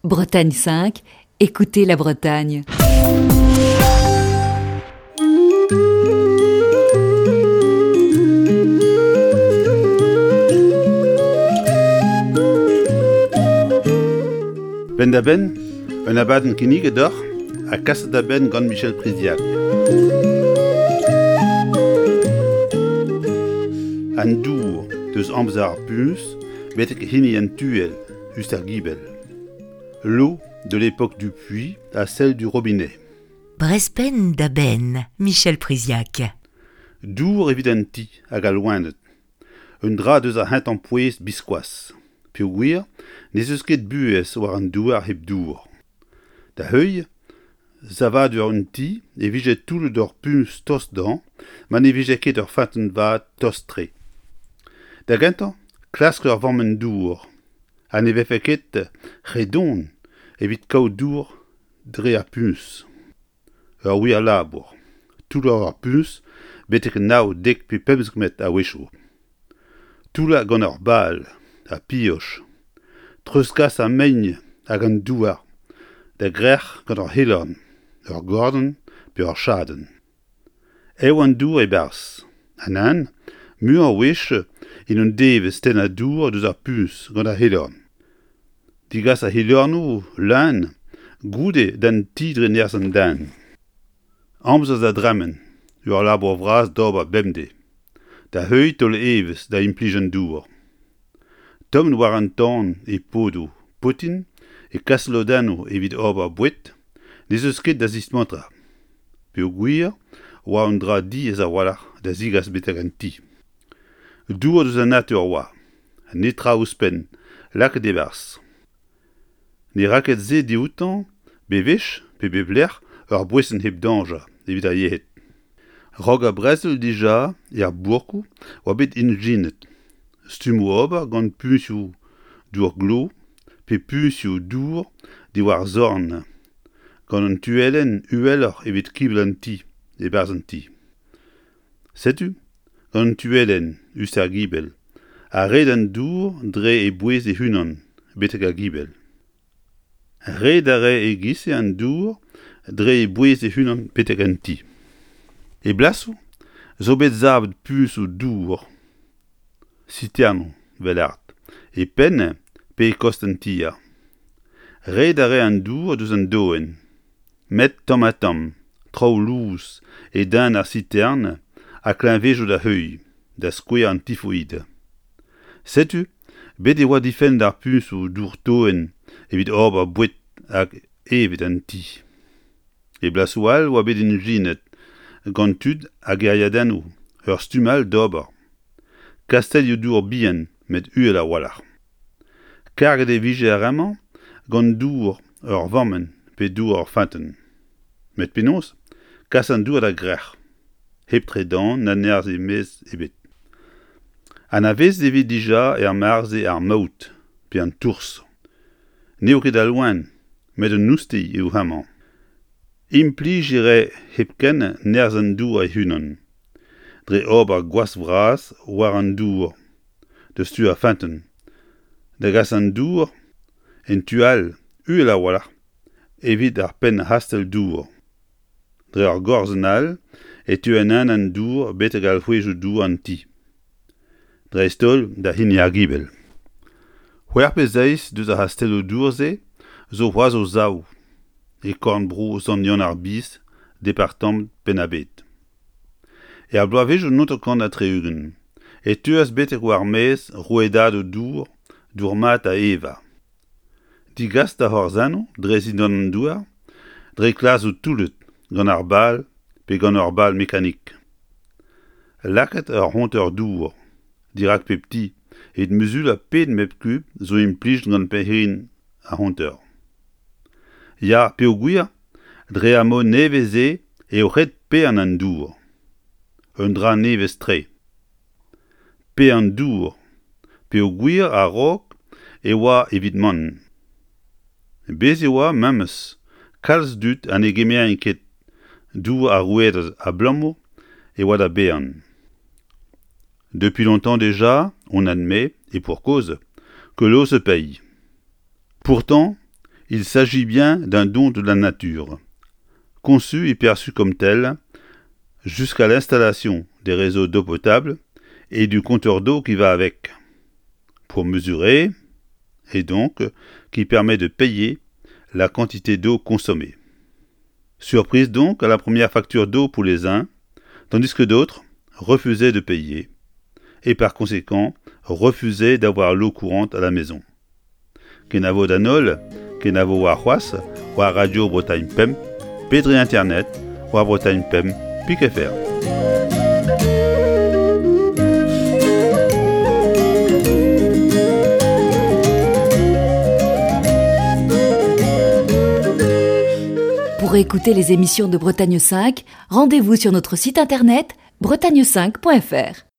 Bretagne 5, écoutez la Bretagne. Penn-da-benn, un abadenn kinniget deoc'h ha kaset da benn gant Michel Priziac. An dour deus amzer ar puñs betek hini an tuel just ar gibell. L'eau de l'époque du puits à celle du robinet. Brezpenn da benn, Michel Priziac. Dour evit an ti hag al loened. Un dra deus ar c'hentañ pouez biskoazh. Peogwir n'ez eus ket buhez war an douar hep dour. Da heuilh savadur un ti e vije toullet ur puñs tost dezhañ ma ne vije ket ur feunteun vat tost-tre. Da gentañ, klask ur vammenn dour Ha ne vefe ket re don evit kaout dour dre ar puñs. Ur wir labour, toullañ ur puñs betek nav, dek pe 15 metr a-wechoù. Toullañ gant ur bal ha pioch. Treuzkas ar mein hag an douar da grec'h gant ur c'helorn, ur gordenn pe ur chadenn. Ev an dour e-barzh. Ha nann, muioc'h a wech en un devezh tennañ dour deus ar puñs gant ar c'helorn. Degas ar c'helornoù leun goude d'an ti dre nerzh an den. Amzer da dremen, ur labour vras d'ober bemdez. Da heuilh taol evezh da implij an dour. Tommet war an tan e podoù potin e kas lodennoù evit ober boued n'ez eus ket da zismantrañ peogwir oa un dra diaes a-walc'h da zegas betek an ti. Dour deus an natur oa, netra ouzhpenn lakaet e-barzh. Ne ra ket se dioutañ bewech pe bep lec'h ur boeson hep dañjer evit ar yec'hed. Raok ar brezel dija er bourkoù oa bet ijinet stummoù ober gant puñsoù dour-glav pe puñsoù dour diwar zorn gant un tuellenn uheloc'h evit kibell an ti e-barzh an ti. Setu gant un tuellenn us ar gibell a red an dour dre e bouez e-unan betek ar gibell. Red a rae e-giz-se an dour dre e bouez e-unan betek an ti. E blasoù zo bet savet puñsoù dour siternoù 'vel-art e penn pe e kost an tier. Red a rae an dour deus an doenn met tamm-ha-tamm traoù lous e den ar sitern ha kleñvedoù da heuilh, da skouer an tifoid. Setu bet e oa difennet ar puñsoù dour-toenn evit ober boued hag evet an ti. E blasoù all oa bet ijinet gant tud a gêriadennoù ur stumm all d'ober. Kastellioù-dour bihan met uhel a-walc'h. Karget e vije ar re-mañ gant dour ur vammenn pe dour ur feunteun. Met penaos kas an dour da grec'h hep tredan na nerzh e-maez ebet? Anavezet e vez dija er mare-se ar maout pe an tourz. N'eo ket al loen met un oustilh eo hemañ. Implij e rae hepken nerzh an dour e-unan, dre ober gwask vras war an dour deus tu ar feunteun, da gas an dour en tu all uhel a-walc'h evit ar penn-c'hastell-dour. Dre ur gorzenn all e teu en an dour betek alc'hwezioù-dour an ti. Dreist-holl da hini ar gibell. C'hwec'h pe seizh deus ar c'hastelloù-dour-se zo c'hoazh o sav e korn-bro Sant-Yann-ar-Biz, departamant Penn-ar-Bed. Er bloavezhioù 1960 e teuas betek war-maez rouedadoù dour, dour mat da evañ. Degas da c'horzennoù dre zindan an douar, dre klasoù toullet gant ar bal pe gant ur bal mekanik. Lakaat ur c'honteur dour dirak pep ti evit muzulañ pet metr kub zo implijet gant perc'henn ar c'honteur. Ya, peogwir dre ar mod nevez-se eo ret paeañ an dour. Un dra nevez-tre. Pe an dour, peogwir a-raok e oa evit mann. Bez' e oa memes kalz dud ha ne gemerent ket dour ar rouedad abalamour e oa da baeañ. Depuis longtemps déjà, on admet, et pour cause, que l'eau se paye. Pourtant, Il s'agit bien d'un don de la nature, conçu et perçu comme tel jusqu'à l'installation des réseaux d'eau potable et du compteur d'eau qui va avec, pour mesurer, et donc qui permet de payer la quantité d'eau consommée. Surprise donc à la première facture d'eau pour les uns, tandis que d'autres refusaient de payer, et par conséquent refusaient d'avoir l'eau courante à la maison. Kenavo d'an holl, kenavo warc'hoazh war Radio Bretagne Pemp pe dre internet war Bretagne Pemp pik fr. Pour écouter les émissions de Bretagne 5, rendez-vous sur notre site internet bretagne5.fr.